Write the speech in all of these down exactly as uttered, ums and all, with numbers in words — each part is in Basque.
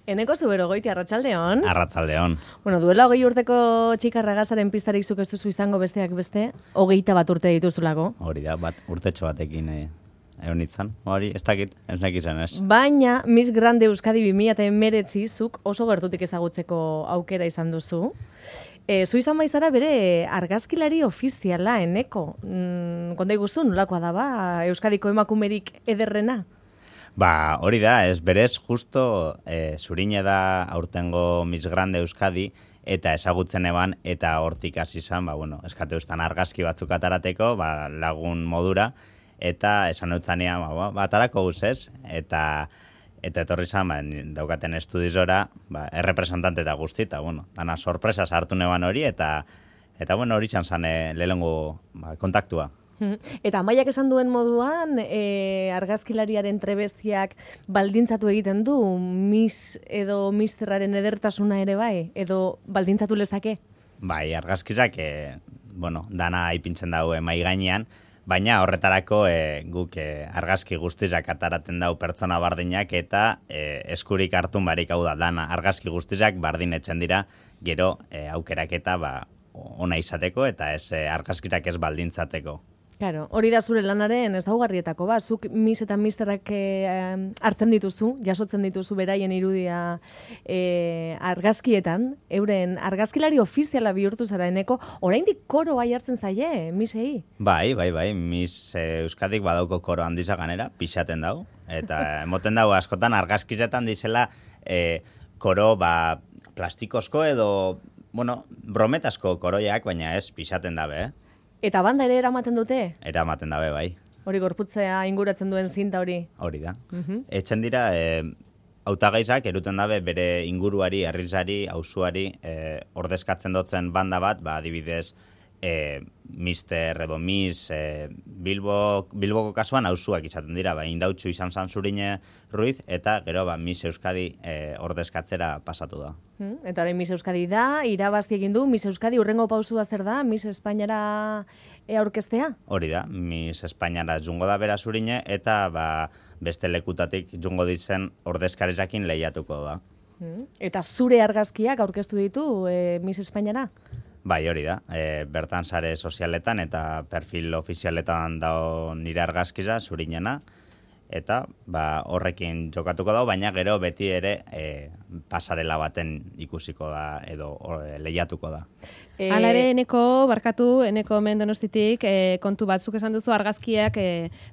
Eneko Zuberogoiti, arratsaldeon. Arratsaldeon. Bueno, duela hogei urteko txikarragazaren pistarik zuk ez duzu izango besteak beste, hogeita bat urte dituzulako. Hori da, bat, urtetxo batekin eh, egon itzan. Hori, ez dakit, ez nekizan ez. Baina, Miss Grande Euskadi bi mila hemeretzi zuk oso gertutik ezagutzeko aukera izan duzu. E, zu izan baizara bere argazkilari ofiziala, Eneko. Mm, konta iguzu, nolakoa da ba, Euskadiko emakumerik ederrena? Ba, hori da, ez berez justo e, zurine da aurtengo Miss Grande Euskadi eta ezagutzen eban eta hortik hasi izan, ba, bueno, eskatu eustan argazki batzuk atarateko, ba, lagun modura, eta esan eutzanean, ba, ba, atarako guz ez, eta eta etorri izan, ba, daukaten estudizora, ba, errepresentante eta guzti, eta, bueno, dana sorpresa sartu neban hori, eta, eta bueno, hori txan zan e, lehenengo ba, kontaktua. Eta Amaiak esan duen moduan, e, argazkilariaren trebestiak baldintzatu egiten du, Miss edo misterraren edertasuna ere bai, edo baldintzatu lezake? Bai, argazkizak, e, bueno, dana ipintzen daue mai gainean, baina horretarako e, guk e, argazki guztizak ataraten dau pertsona bardinak eta e, eskurik hartun barik hau da, dana argazki guztizak bardin etzen dira, gero e, aukeraketa ba, ona izateko eta ez e, argazkizak ez baldintzateko. Claro, hori da zure lanaren ezaugarrietako ba, zuk Miss eta Misterrak eh, hartzen dituzu, jasotzen dituzu beraien irudia eh, argazkietan, euren argazkilari ofiziala bihurtu zara Eneko, oraindik koro bai hartzen zaie, Missei? Bai, bai, bai, Miss eh, Euskadik badauko koro handiza ganera, pixaten dau, eta emoten dau askotan argazkizetan dizela eh, koro ba, plastikozko edo, bueno, brometasko koroiak, baina ez pixaten dabe, eh? Eta banda ere eramaten dute? Eramaten dabe, bai. Hori gorputzea inguratzen duen zinta hori? Hori da. Uh-huh. Etxen dira, e, hautagaizak eruten dabe bere inguruari, herrizari, auzuari e, ordezkatzen dutzen banda bat, ba, adibidez, e, Mister edo Miss e, Bilbo, Bilboko kasuan auzuak izaten dira, ba, indautxu izan zan Zurine Ruiz, eta gero ba, Miss Euskadi e, ordezkatzera pasatu da. Hmm, eta orain Miss Euskadi da, irabazi egin du, Miss Euskadi urrengo pausua zer da, Miss Espainiara e aurkeztea? Hori da, Miss Espainiara jungo da bera Zurine, eta ba, beste lekutatik jungo ditzen ordezkaritzakin lehiatuko da. Hmm, eta zure argazkiak aurkeztu ditu e, Miss Espainiara? Bai, hori da. E, bertan sare sozialetan eta perfil ofizialetan dao nire argazkiza, Zurinena, eta ba, horrekin jokatuko dago, baina gero beti ere e, pasarela baten ikusiko da edo or, lehiatuko da. E... Hala ere, Eneko, barkatu, Eneko hemen Donostitik, e, kontu batzuk esan duzu argazkiak e,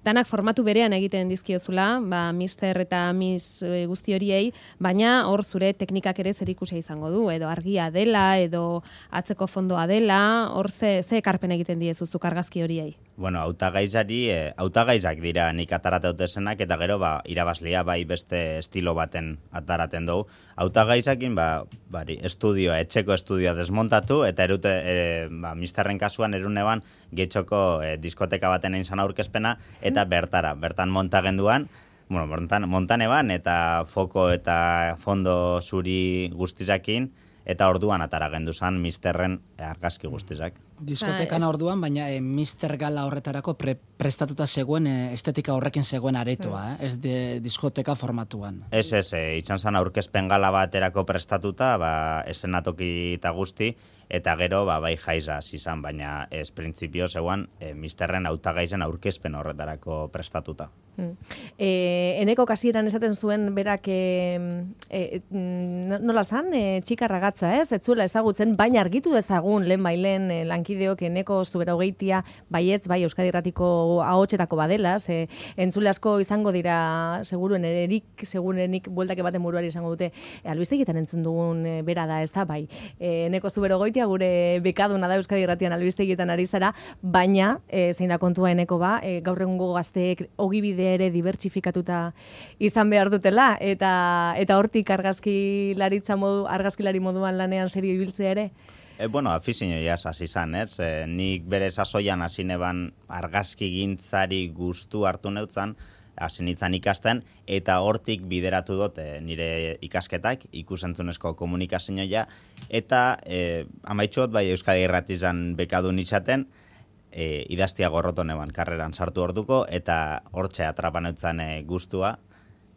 danak formatu berean egiten dizkiozula, ba, Mister eta Miss e, guzti horiei, baina hor zure teknikak ere zer ikusia izango du, edo argia dela, edo atzeko fondoa dela, hor ze, ze ekarpen egiten diezuzuk argazki horiei? Bueno, hautagaizari, e, hautagaizak dira nik ataraten dutezenak, eta gero ba, irabazlia bai beste estilo baten ataraten dugu. Hautagaizakin, ba, bari, estudioa, etxeko estudioa desmontatu, eta erute, e, ba, Misterren kasuan eruneban getxoko e, diskoteka baten egin zan aurkezpena, eta bertara, bertan montagenduan, bueno, montan, montan eban, eta foko eta fondo zuri guztizakin, eta orduan atara gendu zan Misterren argazki guztizak. Diskotekan orduan, baina e, Mister Gala horretarako pre, prestatuta zegoen e, estetika horrekin zegoen aretoa, eh? Ez de diskoteka formatuan. Ez, ez, e, itxan zan aurkezpen gala baterako prestatuta, ba, esenatoki eta guzti, eta gero ba, bai jaizaz izan, baina ez printzipio zegoen e, Misterren hautagaizen aurkezpen horretarako prestatuta. Hmm. E, Eneko kasieran esaten zuen berak e, e, nola zan, e, txikarragatza, ez? Ez zuela ezagutzen, baina argitu dezagun lehen bailen e, lankideok Eneko Zuberogeitia baietz, bai Euskadi Irratiko ahotsetako badela, ze entzule asko izango dira seguruen erik, segurenik bueltak baten buruari izango dute, e, albistegietan entzun dugun e, bera da, ez da, bai. E, Eneko Zuberogeitia gure bekaduna da Euskadi Irratian albistegietan ari zara, baina e, zein da kontua Eneko ba, e, gaur egungo gazteek ogibide ere dibertsifikatuta izan behar dutela, eta eta hortik argazkilaritza modu, argazkilari moduan lanean serio ibiltzea ere? E, bueno, afizio jaz hasi izan, ez? E, nik bere sasoian hasi neban argazki gintzari gustu hartu neutzan, hasi nintzen ikasten, eta hortik bideratu dut e, nire ikasketak, ikusentzunezko komunikazioa, eta e, amaitxot bai Euskadi Irratizan bekadun izaten, E, idaztia gorroton eban karreran sartu orduko, eta hortxe atrapan eutzen e, guztua,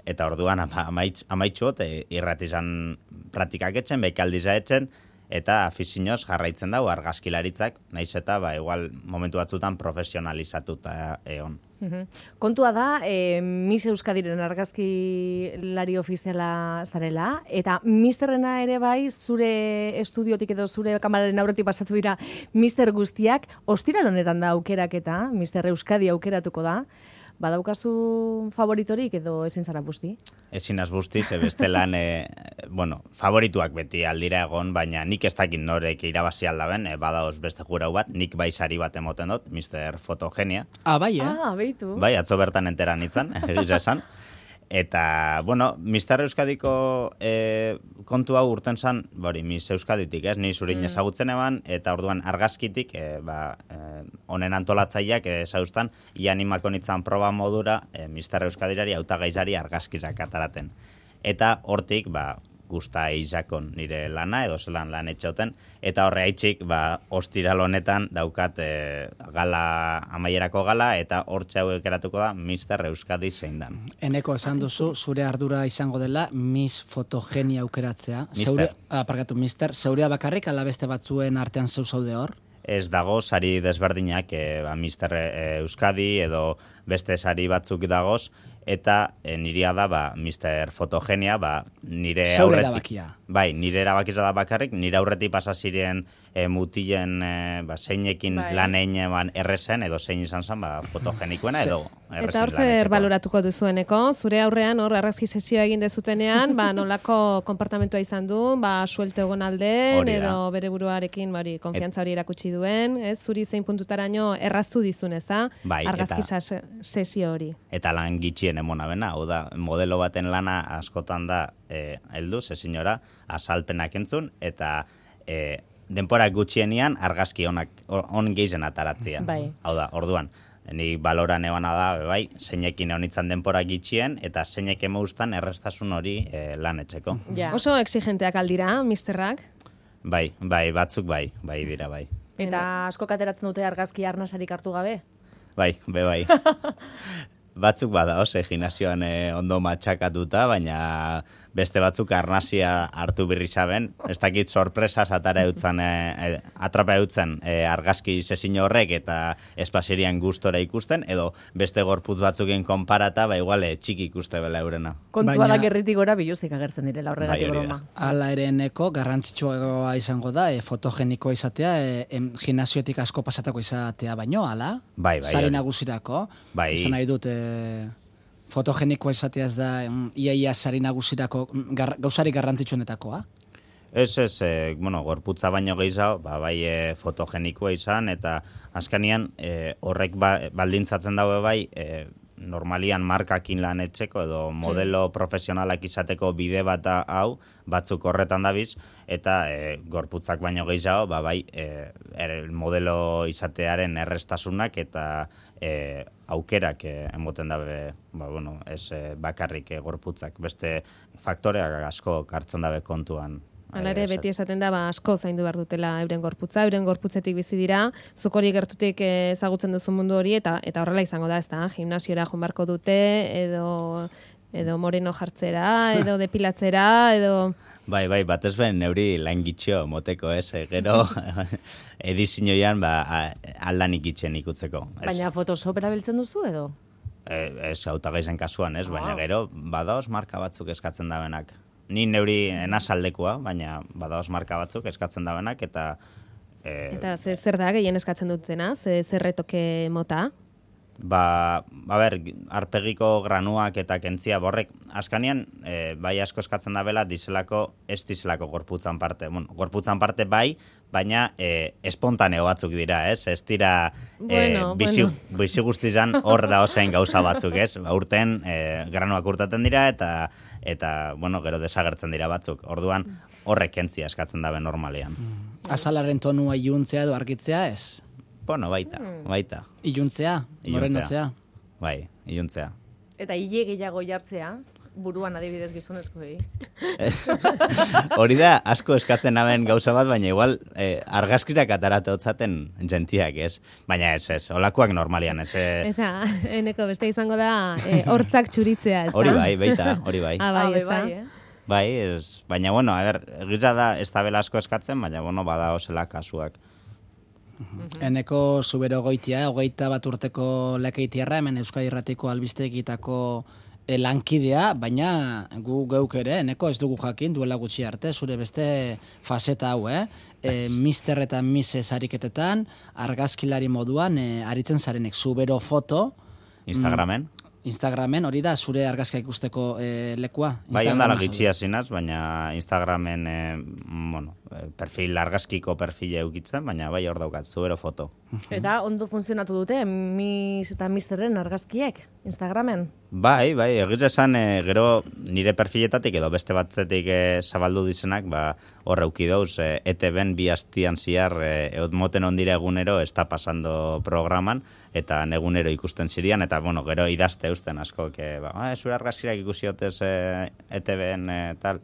eta orduan ama, amaitz, amaitxuot e, irratizan praktikak etxen, bekaldiza etxen, eta afizinoz jarraitzen dago argazkilaritzak, naiz eta ba, igual momentu batzutan profesionalizatuta egon. Kontua da, e, Miss Euskadiren argazkilari ofiziala zarela, eta misterrena ere bai, zure estudiotik edo zure kamararen aurretik pasatu dira mister guztiak, ostiral honetan da aukeraketa, Mister Euskadi aukeratuko da, badaukazu favoritorik edo ezin zara busti? Ezin az busti, ze bestelan, e, bueno, favorituak beti aldira egon, baina nik ez dakit norek irabazi aldaben, e, badaoz beste jurau bat, nik bai sari bat emoten dut, Mister Fotogenia. Ah, bai, eh? Ah, beitu. Bai, atzo bertan enteran itzan, egiz esan. Eta, bueno, Mister Euskadiko e, kontu hau urten zan, bori, Miss Euskaditik, ez, ni zurin mm. ezagutzen eban, eta orduan argazkitik, e, ba, e, honen antolatzaileak ezauztan, ianimako nitzan proba modura, e, Mister Euskadirari hautagaizari argazkizak ataraten. Eta hortik, ba, gusta izakon nire lana, edo zelan lan etxoten, eta horre haitxik, ba, ostiral honetan daukat e, gala, amaierako gala, eta hor txauek eratuko da Mister Euskadi zein dan. Eneko esan duzu, zure ardura izango dela Miss Fotogenia aukeratzea. Zeure, aparkatu, Mister, zeurea bakarrik, ala beste batzuen artean zeu zaude hor? Ez dago sari desberdinak, e, ba, Mister Euskadi edo beste sari batzuk dagoz, eta e, nirea da, ba, Mister Fotogenia, ba, nire Zaure aurretik... erabakia. Bai, nire erabakiza da bakarrik, nire aurretik pasa ziren e, mutilen e, ba, zeinekin bai. lan egin eban errezen, edo zein izan zen, ba, fotogenikoena, edo errezen Eta hor lan zer etxeko. baloratuko duzueneko, zure aurrean hor argazki sesioa egin dezutenean, ba, nolako konpartamentua izan du, ba, suelte egon alden, Hori da. edo bere buruarekin bari, konfiantza hori erakutsi duen, ez, zuri zein puntutaraino erraztu dizun, ez da, Bai, argazki eta- sas- sesio hori. Eta lan gitxien emona bena, hau da, modelo baten lana askotan da e, heldu, zezinora, azalpenak entzun, eta e, denpora gutxienian argazki onak, on geizen ataratzia. Bai. Hau da, orduan, ni baloran ebana da, bai, zeinekin egon denpora gitxien, eta zeinek emaustan errestasun hori e, lan etxeko. Ja. Oso exigenteak aldira, misterrak. Bai, bai, batzuk bai, bai dira, bai. Eta asko kateratzen dute argazki arnasarik hartu gabe? Bai, be bai. Batzuk bada, ose, gimnazioan eh, ondo matxakatuta, baina beste batzuk arnazia hartu birri zaben. Ez dakit sorpresas atara eutzen, eh, atrapa eutzen eh, argazki sesio horrek eta espazirian gustora ikusten, edo beste gorputz batzukin konparata, ba igual eh, txiki ikuste bela eurena. Kontua Baina- da gerritik gora biluzik agertzen direla horregatik Bai, hori da. broma. Hala ere eneko garrantzitsua izango da, e, fotogenikoa izatea, e, em, gimnaziotik asko pasatako izatea baino, hala? Bai, bai, Sari hori. nagusirako. Bai. Izan nahi dut, e, fotogenikoa izatea ez da, em, iaia sari nagusirako mm, gar, gauzarik garrantzitsuenetakoa. Ez, ez, e, bueno, gorputza baino gehiago, ba, bai e, fotogenikoa izan, eta azkanian e, horrek ba, baldintzatzen daue bai, e, normalian markakin lan etxeko edo modelo profesionalak izateko bide bat hau, batzuk horretan dabiz, eta e, gorputzak baino gehiago, ba, bai, e, er, modelo izatearen errestasunak eta e, aukerak e, emoten dabe, ba, bueno, ez e, bakarrik e, gorputzak, beste faktoreak asko hartzen dabe kontuan. Hala ere, Eh, beti esaten da, ba, asko zaindu behar dutela euren gorputza, euren gorputzetik bizi dira, zuk hori gertutik eh, ezagutzen duzu mundu hori, eta eta horrela izango da, ez da, gimnasiora joan beharko dute, edo, edo moreno jartzera, edo depilatzera, edo... Bai, bai, batez ben neuri lan gitxo moteko, ez, e, gero edizioian ba, a- aldanik itxen ikutzeko. Ez, Baina Photoshop erabiltzen duzu edo? e, ez hautagaizen kasuan, ez, baina Ah. gero badaoz marka batzuk eskatzen dabenak. Ni neuri enazaldekoa, baina badaoz marka batzuk eskatzen dabenak, eta... E, Eta ze, zer da gehien eskatzen dutena, ze, zer retoke mota? Ba, a ber, arpegiko granuak eta kentzia borrek, askanian, e, bai asko eskatzen da bela, dizelako, ez dizelako gorputzan parte. Bueno, gorputzan parte bai, baina e, espontaneo batzuk dira, ez? Ez dira, e, Bueno, bizi, bueno. bizi guztizan hor da osein gauza batzuk, ez? Ba, urten, e, granuak urtaten dira, eta, eta, bueno, gero desagertzen dira batzuk. Orduan, horrek kentzia eskatzen dabe normalean. Azalaren tonua iluntzea edo argitzea ez? Bueno, baita, baita. Iluntzea, Iluntzea. morenotzea. Bai, iluntzea. Eta hile gehiago jartzea? buruan adibidez gizonezkoei. Hori da, asko eskatzen hamen gauza bat, baina igual eh, argazkirak atarate hotzaten jentiak, ez? Baina ez, ez, olakoak normalian, ez? Eh... Eta, eneko beste izango da, eh, hortzak txuritzea, ez da? Hori bai, baita, hori bai. Ah, bai, Ah, ez da? bai, eh? Bai, ez, baina, bueno, a ber, egiza da, ez da bela asko eskatzen, baina, bueno, bada osela kasuak. Eneko zubero goitia, hogeita bat urteko lekeitiarra, hemen Euskadi Irratiko albistegitako e, lankidea, baina gu geuk ere, eneko ez dugu jakin, duela gutxi arte, zure beste faseta hau, eh? E, mister eta mises ariketetan, argazkilari moduan, e, aritzen zarenek zubero foto, Instagramen? Instagramen, hori da, zure argazka ikusteko e, lekua? Bai, Instagramen ondala zaude. gitxia zinaz, baina Instagramen, e, bueno, perfil, argazkiko perfile eukitzen, baina bai hor daukat, zubero foto. Eta ondo funtzionatu dute, mis eta misterren argazkiek, Instagramen. Bai, bai, egiz esan, e, gero nire perfiletatik edo beste batzetik e, zabaldu dizenak, ba, hor euki dauz, e, E T Ben bi hastian ziar, e, eot moten ondire egunero, ez da pasando programan, eta negunero ikusten zirian, eta, bueno, gero idazte eusten asko, que, ba, ah, zure argazkirak ikusi hotez e, E T Ben e, tal,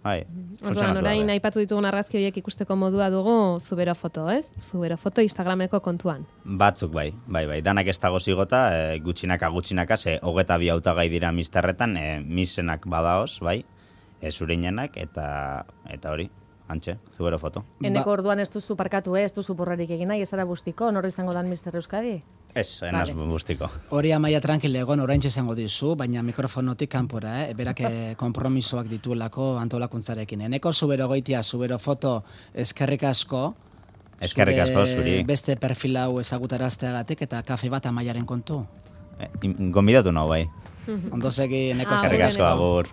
bai, Orduan, funtzionatu orain dabe. aipatu ditugun argazki horiek ikusteko modua dugu zubero foto, ez? Zubero foto Instagrameko kontuan. Batzuk bai, bai, bai, danak ez dago zigota, e, gutxinaka gutxinaka, ze hogeta bi hautagai dira misterretan, e, misenak badaoz, bai, e, zurinenak, eta, eta hori, antxe, zubero foto. Eneko Ba- orduan ez duzu parkatu, eh? Ez duzu porrarik egin nahi, ez zara bustiko, nor izango dan mister Euskadi? Ez, enaz Vale. bustiko. Hori amaia tranquil egon, orain izango dizu, baina mikrofonotik kanpora, eh? Berak eh, konpromisoak dituelako antolakuntzarekin. Eneko zubero goitia, zubero foto, eskerrik asko. Eskerrik asko, zuri. Beste perfil hau ezagutarazteagatik eta kafe bat amaiaren kontu. E, gonbidatu nau, bai. Ondo segi, Eneko Ah, Eskerrik asko, Eneko. agur.